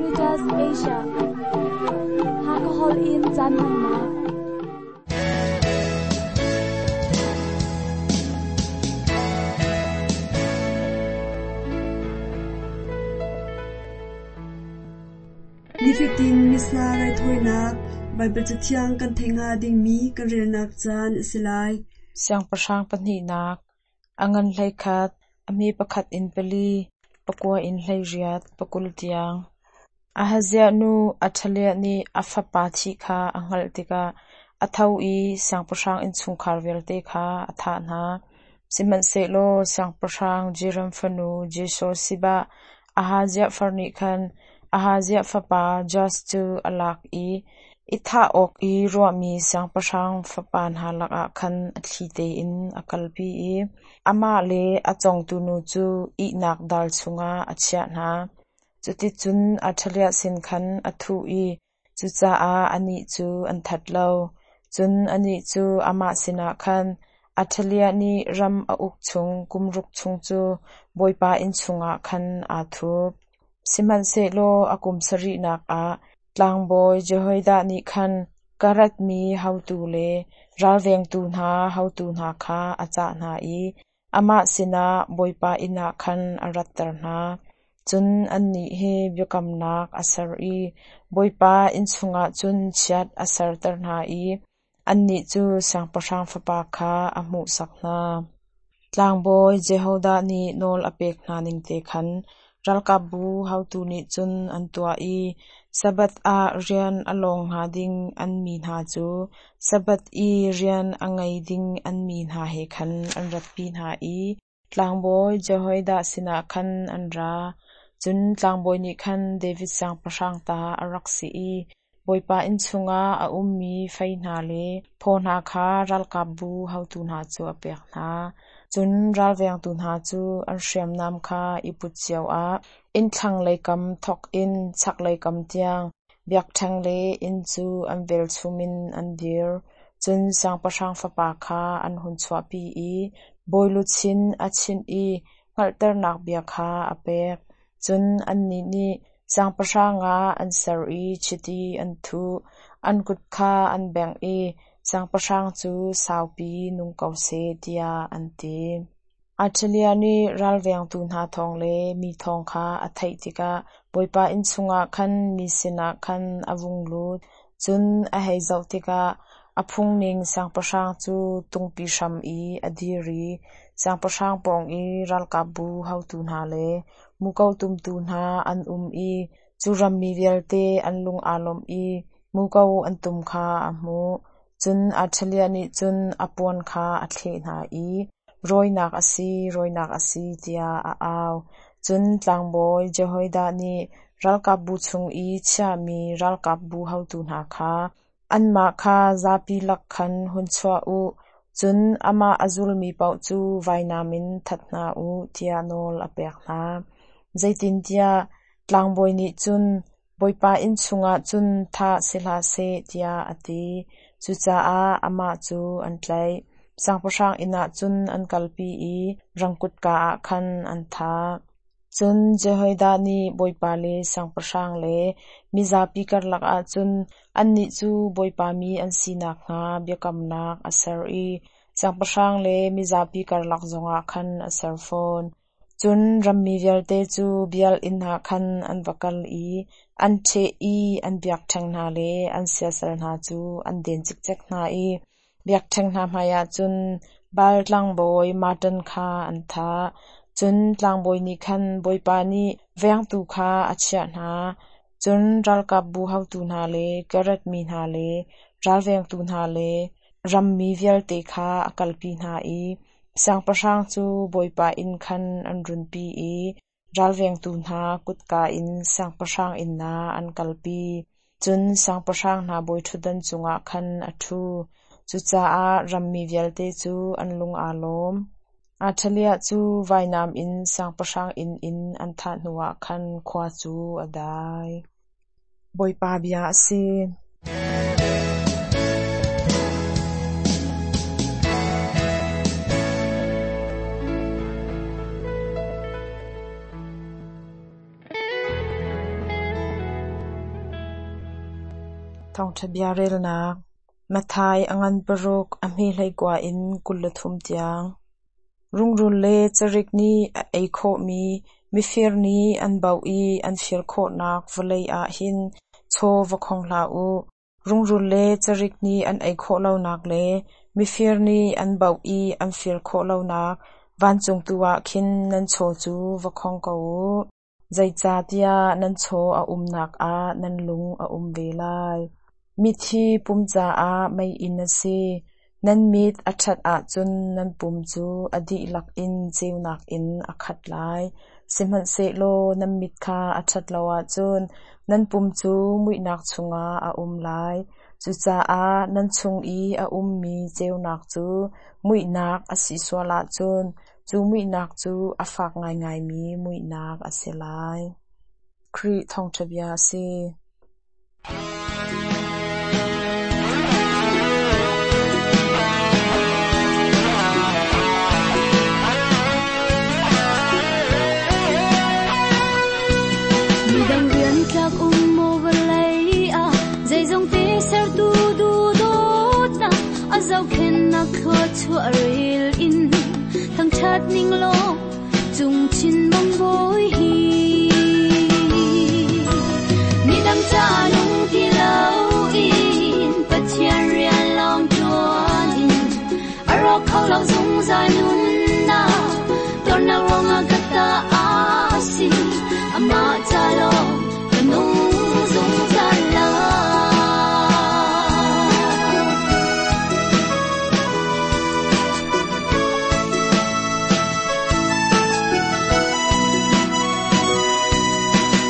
Caritas Asia. Hakha holh in caan hmannak. Nifatin Missa raithawinak Baibal Cathiang kan theih hnga dingmi kan relnak caan a si lai. Siangpahrang pahnihnak, a ngan 11, a hme pakhat in pali, pakua in 18, 20 tiang. Ahaziah nu Athaliah nih a fapa thih kha a hngalh tikah a tho i siangpahrang innchungkhar vialte kha a thah hna. Sihmanhsehlaw siangpahrang Jehoram fanu Jehosheba, Ahaziah far nih khan Ahaziah fapa Joash cu a lak i i thah awk i ruahmi siangpahrang fapa hna lakah khan a thli tein a kalpi i amah le a cawngtu nu cu ihnak dal chungah a chiah hna. Cuticun Athaliah sin khan a thuh i cucaah anih cu an that lo. Cun anih cu amah sinah khan Athaliah nih ram a uk chung kum ruk chung cu Bawipa inn chungah khan aa thup. Sihmanhsehlaw a kum sarihnak ah tlangbawi Jehoiada nih khan Karath mi haotu le ralvengtu hna haotu hna kha a cah hna i amah sinah Bawipa inn ah khan a ratter hna. Cun annih he biakamnak a ser i Bawipa inn chungah cun chiat a serter hna i annih cu siangpahrang fapa kha a hmuhsak hna. Tlangbawi Jehoiada nih nawl a pek hna ningte khan ralkapbu haotu nih cun an tuah i Sabbath ah rian a lawng hnga ding an mi hna cu Sabbath i rian a ngei ding an mi hna he khan an ratpi hna i tlangbawi Jehoiada sinah khan an ra. Cun tlangbawi nih khan David siangpahrang ta a rak si i Bawipa inn chungah a ummi fei hna le phaw hna kha ralkapbu haotu hna cu a pek hna. Cun ralvengtu hna cu an hriamnam kha i put cio ah inn thlanglei kam thawk in chaklei kam tiang biakṭheng le inn cu an velchum in an dir. Cun siangpahrang fapa kha an hun chuahpi i bawi luchin a chinh i hngalhternak bia kha a pek. Cun annih nih siangpahrang ah an ser i chiti an thuh, an kut kha an bengh i siangpahrang cu saupi nung ko seh tiah an ti. Athaliah nih ralvengtu hna thawng le mi thawng kha a theih tikah Bawipa inn chungah khan mi sinah khan a vung lut. Cun a hei zoh tikah a phungning siangpahrang cu tungpi hram i a dir i siangpahrang pawng i ralkapbu haotu hna le muko tumtu hna an um i cu rammi vialte an lung aa lawmh i muko an tum kha a hmuh. Cun Athaliah nih cun a puan kha a thleh hna i, Rawinak a si, rawinak a si, tiah a au. Cun tlangbawi Jehoiada nih ralkapbu chung i chiahmi ralkapbu haotu hna kha, Anmah kha zapi lak khan hun chuah u, cun amah a zulmi paoh cu vainam in that hna u, tiah nawl a pek hna. Zeitintiah tlangbawi nih cun, Bawipa inn chungah cun thah si hlah seh, tiah a ti. Cucaah amah cu an tlaih. Siangpahrang inn ah cun an kalpi i rang kutka ah khan an thah. Cun Jehoiada nih Bawipa le siangpahrang le mizapi karlak ah cun annih cu Bawipa mi an si nakhnga biakamnak a ser i siangpahrang le mizapi karlak zongah khan a ser fawn. Cun rammi vialte cu Baal inn ah khan an va kal i an ṭheh i an biakṭheng hna le an siasal hna cu an den cikcek hna i biakṭheng hna hmaiah cun Baal tlangbawi Mattan kha an thah. Cun tlangbawi nih khan Bawipa nih vengtu kha a chiah hna. Cun ralkapbu haotu hna le Kereth mi hna le ralvengtu hna le rammi vialte kha a kalpi hna i siangpahrang cu Bawipa inn khan an runpi i ralvengtu hna kutka in siangpahrang inn ah an kalpi. Cun siangpahrang hna bawiṭhutdan cungah khan a ṭhu. Cucaah rammi vialte cu an lung aa lawm. Athaliah cu vainam in siangpahrang inn in an thah hnuah khan khua cu a dai. Bawipa bia a si. Thawngṭha bia relnak Matthai a ngan paruk a hme 19 in 23 tiang. Rungrul le carik nih a ei khawhmi mifir nih an baoh i an fir khawhnak vawlei ah hin chaw va khong hlah u. Rungrul le carik nih an ei khawh lonak le mifir nih an baoh i an fir khawh lonak vancung tu ah khin nan chaw cu va khong ko u. Zeicahtiah nan chaw a umnak ah nan lung a um ve lai. Mit hi pum caah meiinn a si. Nan mit a ṭhat ahcun nan pum cu a dihlak in ceunak in a khat lai. Sihmanhsehlaw nan mit kha a ṭhat lo ahcun nan pum cu muihnak chungah a um lai. Cucaah nan chung i a ummi ceunak cu muihnak a si sual ahcun cu muihnak cu a fak ngaingaimi muihnak a si lai. Khrih thawngṭha bia a si. Midang rian tlak um maw vawlei ah zeizong te sertu duhdawtnak a zohkhenhnak thluachuah rel in thangṭhat ning law cungchin mang bawi hi. Midang ca nung ti loin Pathian rian lawng ṭuan in a rawk kho lo zungzal nunnak tuarnak ruangah ka ta a si amah ca lawng ka nung zungzal lai.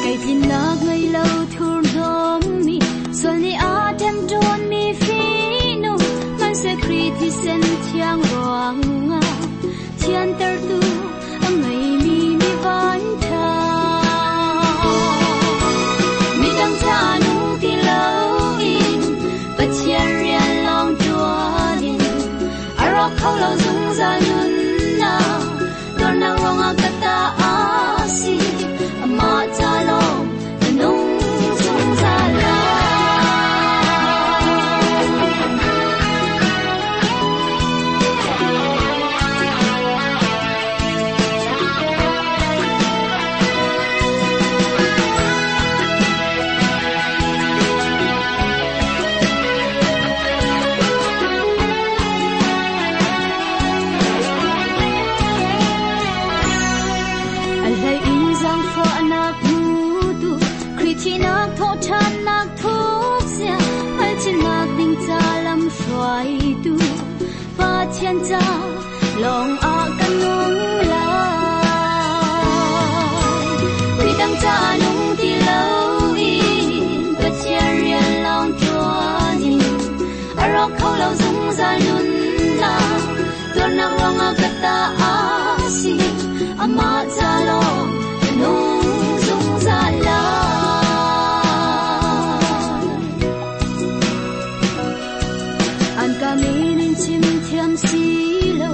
Kei tlinnak ngei lo thurhnawmmi sual nih a ṭemṭawnmi fihnung hmanhseh Khrih thisen thiang ruangah thiantertu a ngeimi mi vanṭha. Midang ca nung ti loin Pathian rian lawng ṭuan in a rawk kho lo zungzal nunnak tuarnak ruangah ka ta a si amah ca lawng ka nung zungzal lai. A hlei in zaangfahnak hmutu Khrih thihnak thawhṭhannak thukzia hngalhchinnak ding ca lam hruaitu Pathian ca lawng ah ka nung lai. Midang ca nung ti loin Pathian rian lawng ṭuan in a rawk kho lo zungzal nunnak tuarnak ruangah ka ta a si amah ca lawng ka nung zungzal lai. An ka min in chim thiam si lo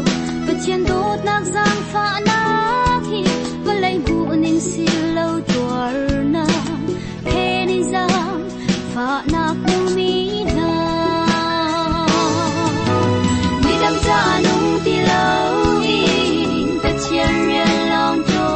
Pathian dawtnak zaangfahnak hi vawlei hmuh ning si lo tuarnak phen in zaangfahnak hmumi hna. Midang ca nung ti loin Pathian rian lawng ṭuan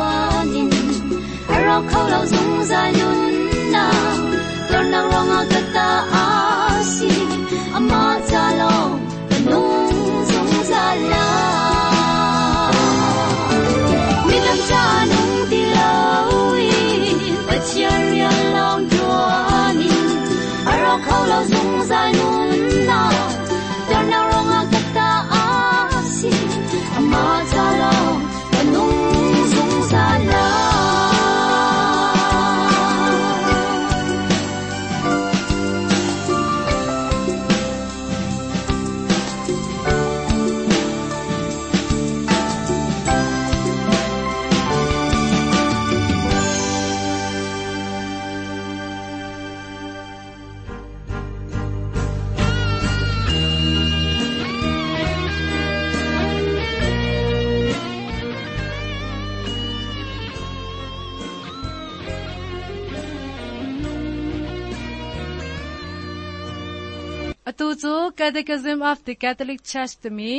Atu cu Catechism of the Catholic Church timi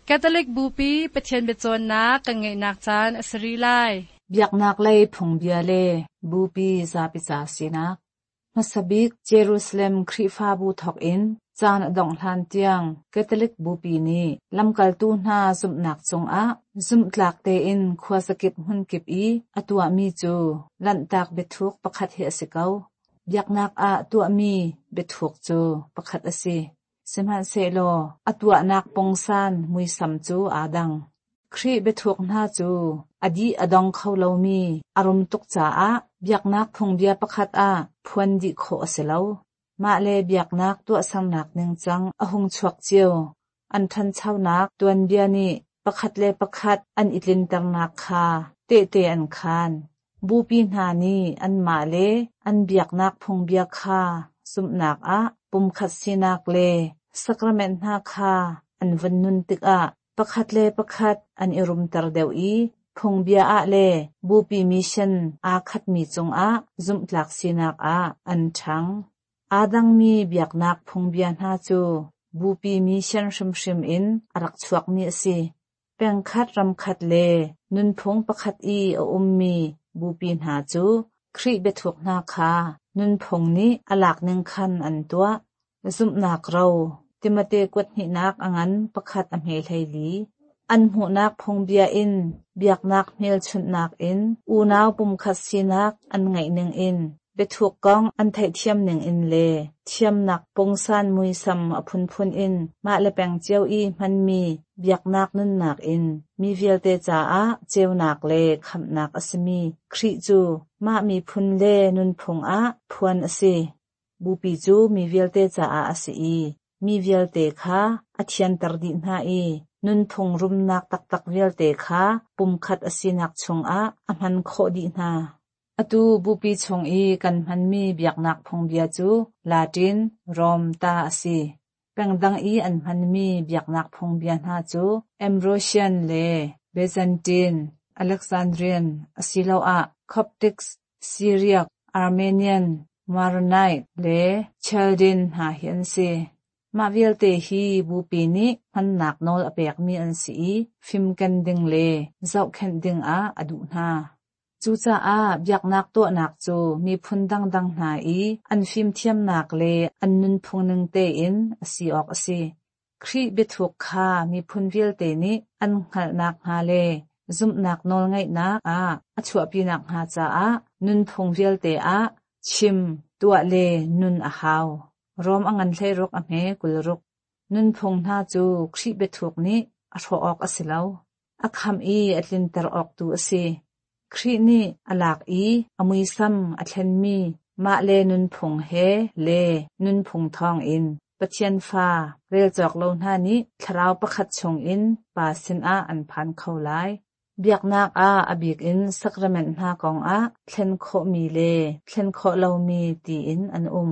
Catholic Bupi Pathian biacawnnak kan ngeihnak caan a si rih lai. Biaknak lei phungbia le Bupi zapi ca sinak. Hmasa bik Jerusalem Khrihfabu thawk in caan a dongh hlan tiang Catholic Bupi nih lamkaltu hna zumhnak cungah zumhtlak tein khuazakip hmunkip i a tuahmi cu Lanhtak biathuk pakhat hi a si ko. Biaknak ah tuahmi biathuk cu pakhat a si. Sihmanhsehlaw a tuahnak pungsan muisam cu aa dang. Khrih biathuk hna cu a dih a dong kho lomi a rum tuk caah biaknak phungbia pakhat ah phuan dih khawh a si lo. Mah le biaknak tuahsernak ningcang a hung chuak cio. An ṭhanchonak tuanbia nih pakhat le pakhat an i tlinternak kha tehte an khaan. Bupi hna nih anmah le an biaknak phungbia kha zumhnak ah pumkhat sinak le sacrament hna kha an vun nun tikah pakhat le pakhat an i rumter deuh i phungbia ah le bupi mission aa khatmi cungah zumhtlak sinak ah an ṭhang. Aa dangmi biaknak phungbia hna cu bupi mission hrimhrim in a rak chuakmi a si. Pengkhat ramkhat le nunphung pakhat i a ummi bupi hna cu Khrih biathuk hna kha nunphung nih a lak ning khan an tuah. Zumhnak ro, Timote kuat hnihnak a ngan pakhat a hme 14. An hmuhnak phungbia in biaknak hmelchunhnak in unau pumkhat sinak an ngeih ningin biathuk kong an theihthiam ningin le thiamnak pungsan muisam a phunphun in mah le peng cio i hmanmi biaknak nunnak in mi vialte caah ceunak le khamhnak a simi Khrih cu mah miphun le nunphung ah phuan a si. Bupi cu mi vialte caah a si i mi vialte kha a thianter dih hna i nunphung rumnak taktak vialte kha pumkhat a sinak chungah a hman khawh dih hna. Atu Bupi chung i kan hmanmi biaknak phungbia cu Latin, Rom ta a si. Pengdang i an hmanmi biaknak phungbia hna cu Ambrosian le Byzantine, Alexandrian asiloah Coptics, Syriac, Armenian, Maronite le Chaldean hna hi an si. Mah vialte hi Bupi nih hmannak nawl a pekmi an si i fimken ding le zohkhenh dingah a duh hna. Cucaah biaknak tuahnak cu miphun dangdang hna i an fimthiamnak le an nunphung ning tein a si awk a si. Khrih biathuk kha miphun vialte nih an hngalh nakhnga le zumhnak nawlngeihnak ah a chuahpi nakhnga caah nunphung vialte ah chim, tuah le nun a hau. Rom a ngan 16 a hme 26. Nunphung hna cu Khrih biathuk nih a hrawh awk a si lo. A khamh i a tlinter awk tu a si. Khrih nih a lak i a muisam a thlenmi mah le nunphung he le nunphung thawngin Pathian fa rel cawk lo hna nih thlarau pakhat chungin Pa sinah an phan kho lai. Biaknak ah a bik in sacrament hna kongah thlen khawhmi le thlen khawh lomi tiin an um.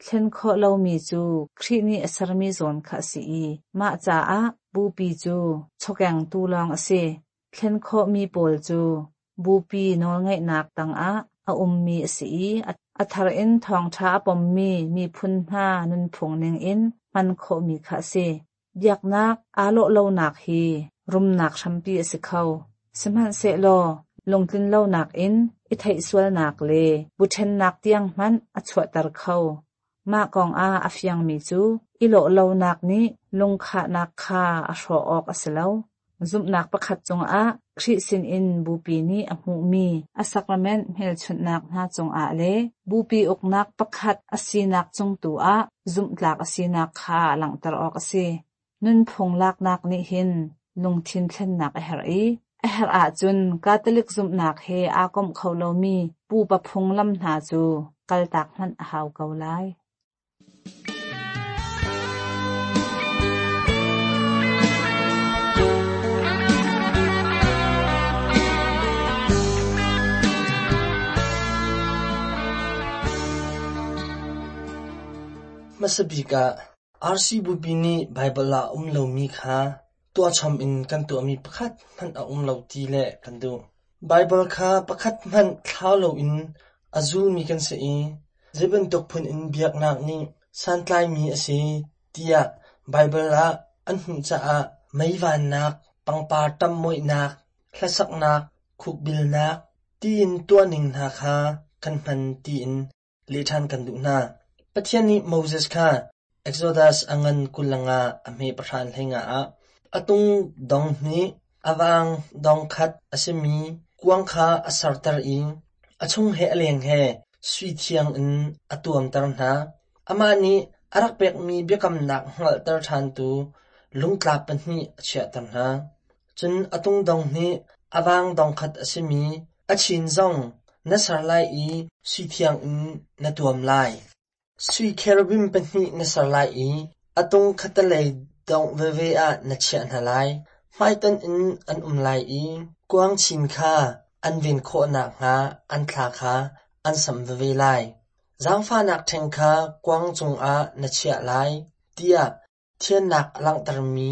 Thlen khawh lomi cu Khrih nih a sermi zawn kha a si i mah caah Bupi cu chawkengtu lawng a si. Thlen khawhmi pawl cu Bupi nawlngeihnak tangah a ummi a si i a thar in thawngṭha a pommi miphun hna nunphung ningin hman khawhmi kha a si. Biaknak aa lawh lonak hi rumnak hrampi a si kho. Sihmanhsehlaw lungtlinlonak in i theihsualnak le bu ṭhennak tiang hmanh a chuahter kho. Mah kongah a fiangmi cu i lawh lonak nih lungkhahnak kha a hrawh awk a si lo. Zumhnak pakhat cungah Khrih sinin Bupi nih a hmuhmi a sacrament hmelchunhnak hna cungah le Bupi uknak pakhat a sinak cung tu ah zumhtlak a sinak kha langhter awk a si. Nunphung laknak nih hin lungthin thlennak a herh i a herh ahcun Catholic zumhnak he aa komh kho lomi pupa phunglam hna cu kaltak hmanh a hau ko lai. Hmasa bik ah RC Bupi nih Baibal ah a um lomi kha tuahchom in kan tuahmi pakhat hmanh a um lo ti leh kan duh. Baibal kha pakhat hmanh thlau loin a zulmi kan si i zei bantuk phun in biaknak nih santlaimi a si tiah Baibal ah an hmuh caah mei vannak, pangpar ṭamhmoihnak, hlasaknak, khukbilnak tiin tuahning hna kha kan hman tiin leh ṭhan kan duh hna. Pathian nih Moses kha Exodus a ngan 25 a hme 10 hleinga ah a tung dong hnih, a vaang dong khat a simi kuang kha a serter i a chung he a leng he sui thiang in a tuamter hna. Amah nih a rak pekmi biakamnak hngalhter ṭhantu lungtlap pahnih a chiahter hna. Cun a tung dong hnih, a vaang dong khat a simi a chin zong na ser lai i sui thiang in na tuam lai. Sui cherubim pahnih na ser lai i a tung khattelei dongh veve ah na chiah hna lai. Hmaitonh in an um lai i kuang chin kha an ven khawh nakhnga an thla kha an samh veve lai. Zaangfahnak ṭheng kha kuang cungah na chiah lai, tiah thiannak a langhtermi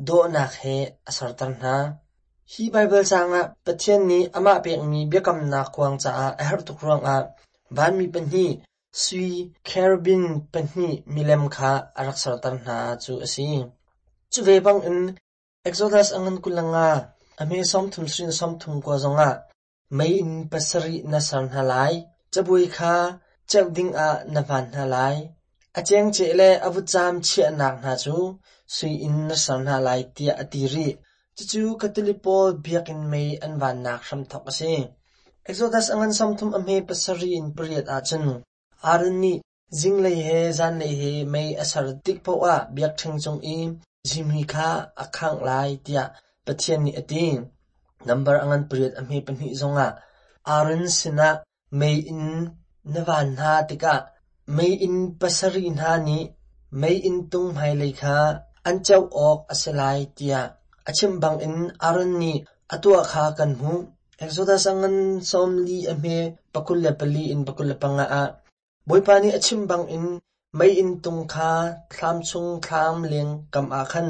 dawhnak he a serter hna. Hi Baibal caang ah Pathian nih amah pekmi biakamnak kuang caah a herh tuk ruangah vanmi pahnih sui cherubim pahnih milem kha a rak serter hna cu a si. Cu ve bangin Exodus a ngan 25 a hme 30 hrin 39 zongah Mei in pasarih na ser hna lai, cabuai kha ceuh dingah na hman hna lai. A cengceh le a vutcaam chiahnak hna cu sui in na ser hna lai tiah a ti rih. Cucu Catholic pawl biakinn mei an vannak hramthawk a si. Exodus a ngan 30 a hme pasarih in pariat ahcun Aaron nih Zinglei he zanlei he mei a ser tik paoh ah biakṭheng cung i zihmui kha a khangh lai tiah Pathian nih a ti. Nambar a ngan pariat a hme pahnih zongah Aaron sinah meiinn na van hna tikah meiinn pasarih hna nih meiinn tung hmailei kha an ceuh awk a si lai tiah a chimh bangin Aaron nih a tuah kha kan hmuh. Exodus a ngan 40 a hme 24 in 25 ah Bawipa nih a chim bangin meiinn tung kha thlam chung thlam leng kam ah khan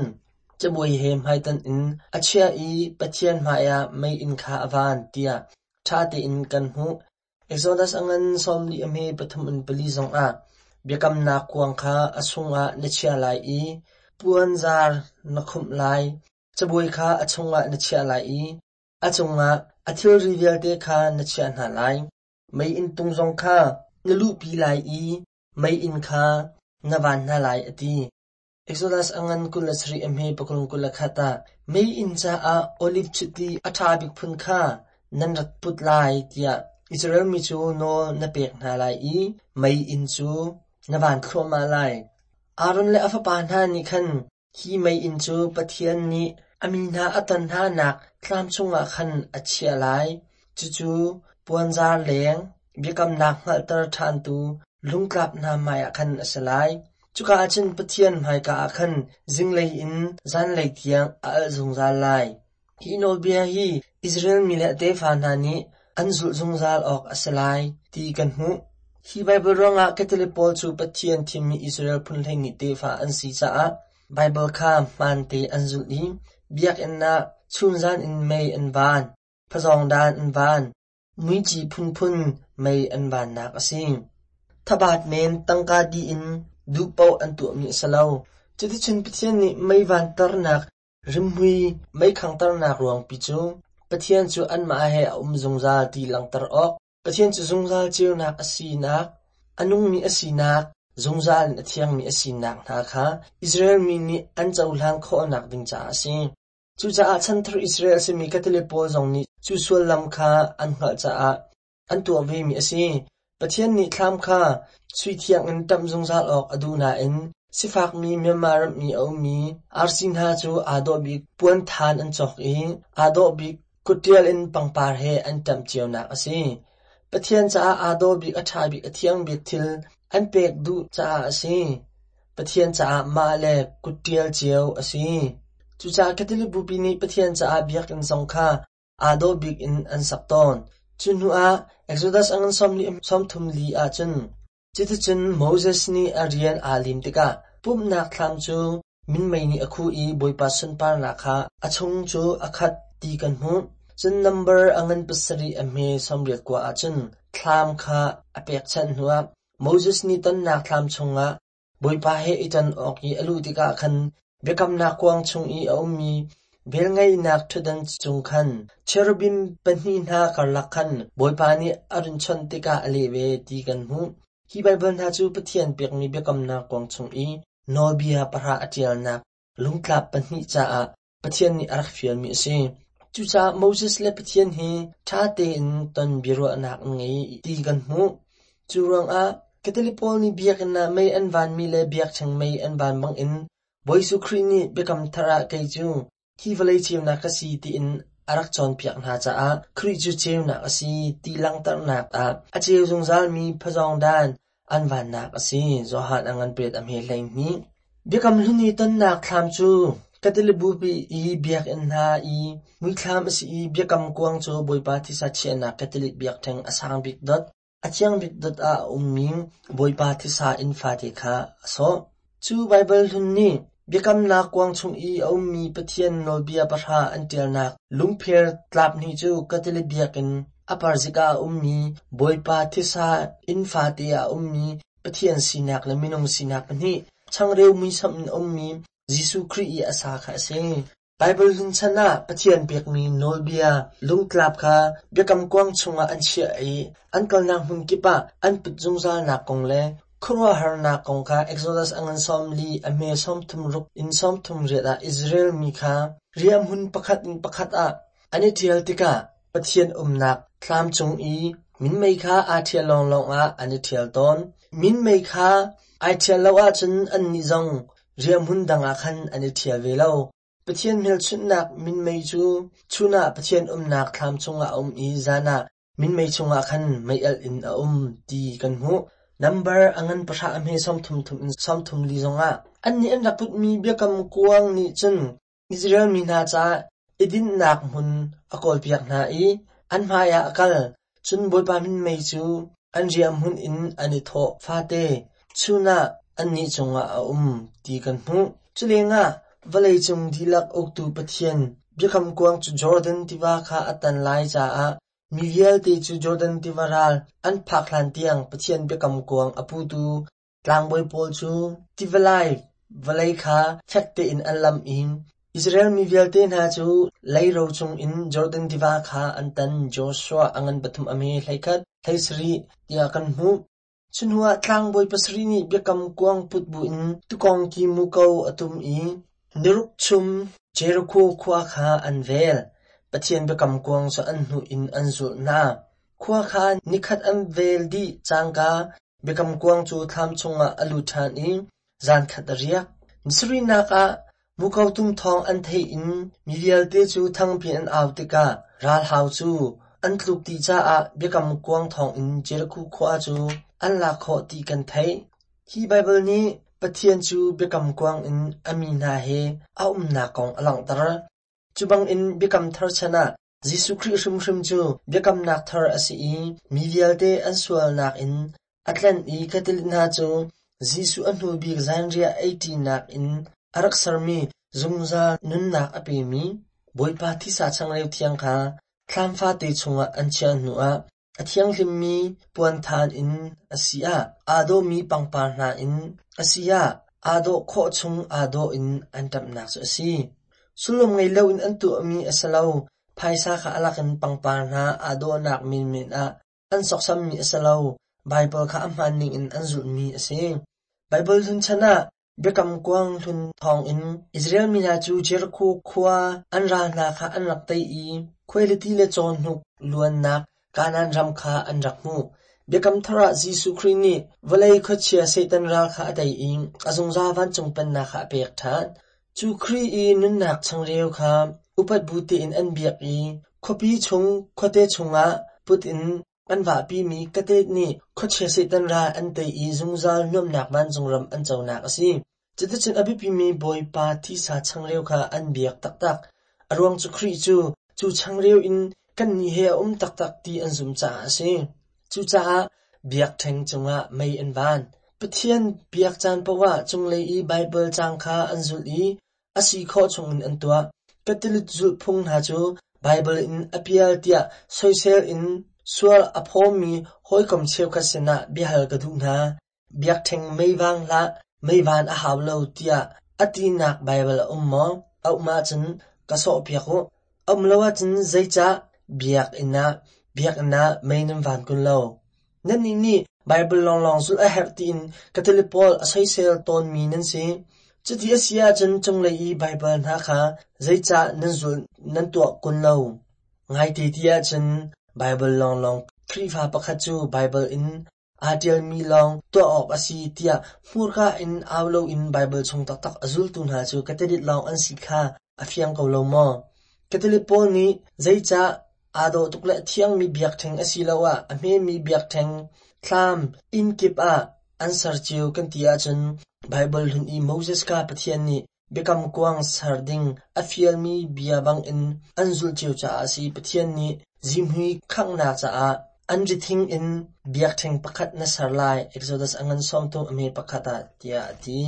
cabuai he hmaitonh in a chiah i Pathian hmaiah meiinn kha a van tiah ṭha tein kan hmuh. Exodus a ngan 40 a hme pathum in pali zongah biakamnak kuang kha a chungah na chiah lai i puanzar na khumh lai, cabuai kha a chungah na chiah lai i a cungah a thilri vialte kha na chiah hna lai. Meiinn tung zong kha na luhpi lai i meiinn kha na van hna lai, a ti. Exodus a ngan 27 a hme pakul 21 ah meiinn caah oliv chiti a ṭha bik phun kha nan rak put lai tiah Israel mi cu nawl na pek hna lai i meiinn cu na van thluahmah lai. Aaron le a fapa hna nih khan Hi meiinn cu Pathian nih a mi hna a ton hnanak thlam chungah khan a chiah lai, cucu puanzar leng, biakamnak hngalhter ṭhantu lungtlap hna hmaiah khan a si lai. Cuka ah cun Pathian hmaika ah khan zinglei in zanlei tiang a alh zungzal lai. Hi nawlbia hi Israel mi le a tefa hna nih an zulh zungzal awk a si lai ti kan hmuh. Hi Baibal ruangah Catholic pawl cu Pathian thimmi Israel phun hleihnih tefa an si caah Baibal kha hmaante an zulh i biakinn ah chunzan in mei an van, phazawngdan an van, muici phunphun mei an vannak a si. Thabat men tangka dih in duh paoh an tuahmi a si lo. Cuticun Pathian nih mei vanternak Rimhmui mei khangternak ruangpi cu Pathian cu anmah he a um zungzal ti langhter awk, Pathian cu zungzal ceunak a sinak, a nungmi a sinak, zungzal in a thiangmi a sinak hna kha Israel mi nih an cohlan khawhnak ding caah a si. Cucaah chanthar Israel a simi Catholic pawl zong nih cu sullam kha an hngalh caah an tuah vemi a si. Pathian nih thlam kha sui thiang in ṭamh zungzal awk a duh nain sifakmi Myanmar ram i a ummi arsi hna cu aa dawh bik puanthan an cawk i aa dawh bik kutṭial in pangpar he an ṭamh cionak a si. Pathian caah aa dawh bik, a ṭha bik, a thiang bik thil an pek duh caah a si. Pathian caah mah le kutṭial cio a si. Cucaah Catholic Bupi nih Pathian caah biakinn zong kha aa dawh bik in an sak tawn. Cu hnuah Exodus a ngan 33 ahcun cuticun Moses nih a rian aa lim tikah pumhnak thlam cu minmei nih a khuh i Bawipa sunparnak kha a chung cu a khat ti kan hmuh. Cun nambar a ngan pasarih a hme 89 ahcun thlam kha a pekchanh hnuah Moses nih tonnak thlam chungah Bawipa he i ton awk i a luh tikah khan biakamnak kuang chung i a ummi velngeihnak ṭhutdan cung khan cherubim pahnih hna karlak khan Bawipa nih a run chawnh tikah a leh ve ti kan hmuh. Hi Baibal hna cu Pathian pekmi biakamnak kuang chung i nawlbia pahra a ṭialnak lungtlap pahnih caah Pathian nih a rak fialmi a si. Cucaah Moses le Pathian hi ṭha tein ton biaruahnak an ngei ti kan hmuh. Cu ruangah Catholic pawl nih biakinn ah mei an vanmi le biakṭheng mei an van bangin Bawi Jesuh Khrih nih Biakam Thar ah kei cu hi vawlei ceunak ka si tiin a rak cawnpiak hna caah Khrih cu ceunak a si ti langhternak ah a ceu zungzalmi phazawngdan an vannak a si. Johan a ngan pet a hme 12. Biakam Hlun i tonnak thlam cu Catholic Bupi i biakinn hna i muithlam a si i biakam kuang cu Bawipa thisa chiahnak Catholic biakṭheng a sang bik dot, a thiang bik dot ah a ummi Bawipa thisa inn fate kha a sawh. Cu Baibal hlun nih biakamnak kuang chung i a ummi Pathian nawlbia pahra an ṭialnak lungpher tlap hnih cu Catholic biakinn a parzik ah a ummi Bawipa thisa inn fate ah a ummi Pathian sinak le minung sinak pahnih, changreu muisam in a ummi Jesuh Khrih i a sa kha a si. Baibal hlun chan ah Pathian pekmi nawlbia lungtlap kha biakam kuang chungah an chiah i an kalnak hmun kip ah an put zungzalnak kong le khuaruahharnak kong kha Exodus a ngan 40 a hme 36 in 38 ah Israel mi kha riahhmun pakhat in pakhat ah an i ṭhial tikah Pathian umnak thlam cung i minmei kha aa ṭhial lawnglawng ah an i ṭhial tawn. Minmei kha ai ṭhial lo ahcun annih zong riahhmun dang ah khan an i ṭhial ve lo. Pathian hmelchunhnak minmei cu chun ah Pathian umnak thlam chungah a um i zan ah minmei chungah khan mei-alh in a um ti kan hmuh. Nambar a ngan pahra a hme 30 thum in 34 zongah annih an rak putmi biakam kuang nih cun Israel mi hna caah i dinhnak hmun a kawlpiak hna i an hmaiah a kal. Cun Bawipa minmei cu an riahhmun in an i thawh fate chun ah annih cungah a um ti kan hmuh. Culengah vawleicung dihlak uktu Pathian biakam kuang cu Jordan tiva kha a tan lai caah mi vialte cu Jordan tiva ral an phak hlan tiang Pathian biakam kuang a putu Tlangbawi pawl cu tivalai vawlei kha fek tein an lamh i Israel mi vialte hna cu leiro cungin Jordan tiva kha an tan. Joshua a ngan pathum a hme 11, 17 tiah kan hmuh. Cu hnuah tlangbawi pasarih nih biakam kuang put buin tuukawng ki muko a tum i niruk chum Jeriko khua kha an vel. Pathian biakam kuang cu an hnuh in an zulh hna. Khua kha nikhat an vel dih cangka Biakam kuang cu thlam chungah a lut ṭhan i zankhat a riak. Ni sarihnak ah muko tum thawng an theih in mi vialte cu thangpi an au tikah ralhau cu an tluk dih caah biakam kuang thawngin Jeriko khua cu an lak khawh ti kan theih. Hi Baibal nih Pathian cu biakam kuang in a mi hna he a umnak kong a langhter. Cu bangin Biakam Thar chan ah Jesuh Khrih hrimhrim cu biakamnak thar a si i mi vialte an sualnak in a tlanh i Catholic hna cu Jesuh a hnu bik zanriah eiṭinak in a rak sermi zungzal nunnak a pemi Bawipa thisa changreu thiang kha thlam fate chungah an chiah hnuah a thianghlimmi puanthan in a si ah aa dawhmi pangpar hna in a si ah aa dawh khawh chung aa dawh in an ṭamhnak cu a si. Sullam ngei loin an tuahmi a si lo. Phaisa kha a lakin pangpar hna aa dawhnak menmen ah an sawksammi a si lo. Baibal kha a hmaan ningin an zulhmi a si. Baibal hlun chan ah Biakam kuang hlun thawngin Israel mi hna cu Jeriko khua an ral hna kha an rak tei i khuailiti le cawhnuk luannak Kanaan ram kha an rak hmuh. Biakam Thar ah Jesuh Khrih nih vawlei khuachia Satan ral kha a tei i a zungzal vancung pennak kha a pek ṭhan. Cu Khrih i nunnak changreu kha upat bu tein an biak i khuapi chung khuate chungah put in An vahpimi katet nih khuachia Satan ral an tei i zungzal nuamhnak vancung ram an conak a si. Cuticun a biapimi Bawipa thisa changreu kha an biak taktak. A ruang cu Khrih cu cu changreu in kannih he a um taktak ti an zumh caah a si. Cucaah biakṭheng cungah mei an van. Pathian biak caan paohah cunglei i Baibal caang kha an zulh i a si khawh chungin an tuah. Catholic zulhphung hna cu Baibal in a pial tiah soisel in sual a phawmi hawikom cheukhat sinah biahal ka duh hna. Biakṭheng mei vang hlah. Mei van a hau lo tiah a tinak Baibal a um maw? A um ahcun ka sawhpiak u. A um lo ahcun zeicah biakinn ah mei nan van kun lo? Nannih nih Baibal lawnglawng zulh a herh tiin Catholic pawl a soisel tawnmi nan si. Cuti a si ahcun cunglei i Baibal hna kha zeicah nan zulh nan tuah kun lo? Ngaite ti ahcun Baibal lawnglawng Khrihfa pakhat cu Baibal in aa ṭialmi lawng tuah awk a si tiah hmurka in au loin Baibal chung taktak a zultu hna cu Catholic lawng an si kha a fiang ko lo maw? Catholic pawl nih zeicah aa dawh tuk le a thiangmi biakṭheng asiloah a hmemi biakṭheng thlam inn kip ah an ser cio kan ti ahcun Baibal hlun i Moses kha Pathian nih biakam kuang ser ding a fialmi bia bangin an zulh cio caah a si. Pathian nih zihmui khanghnak caah an rithing in biakṭheng pakhat na ser lai, Exodus a ngan 30 a hme pakhat ah tiah a ti.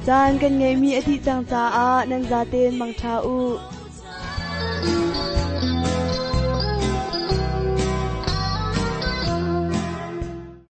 Caan kan ngeihmi a dih cang caah nan zaten mangṭha u.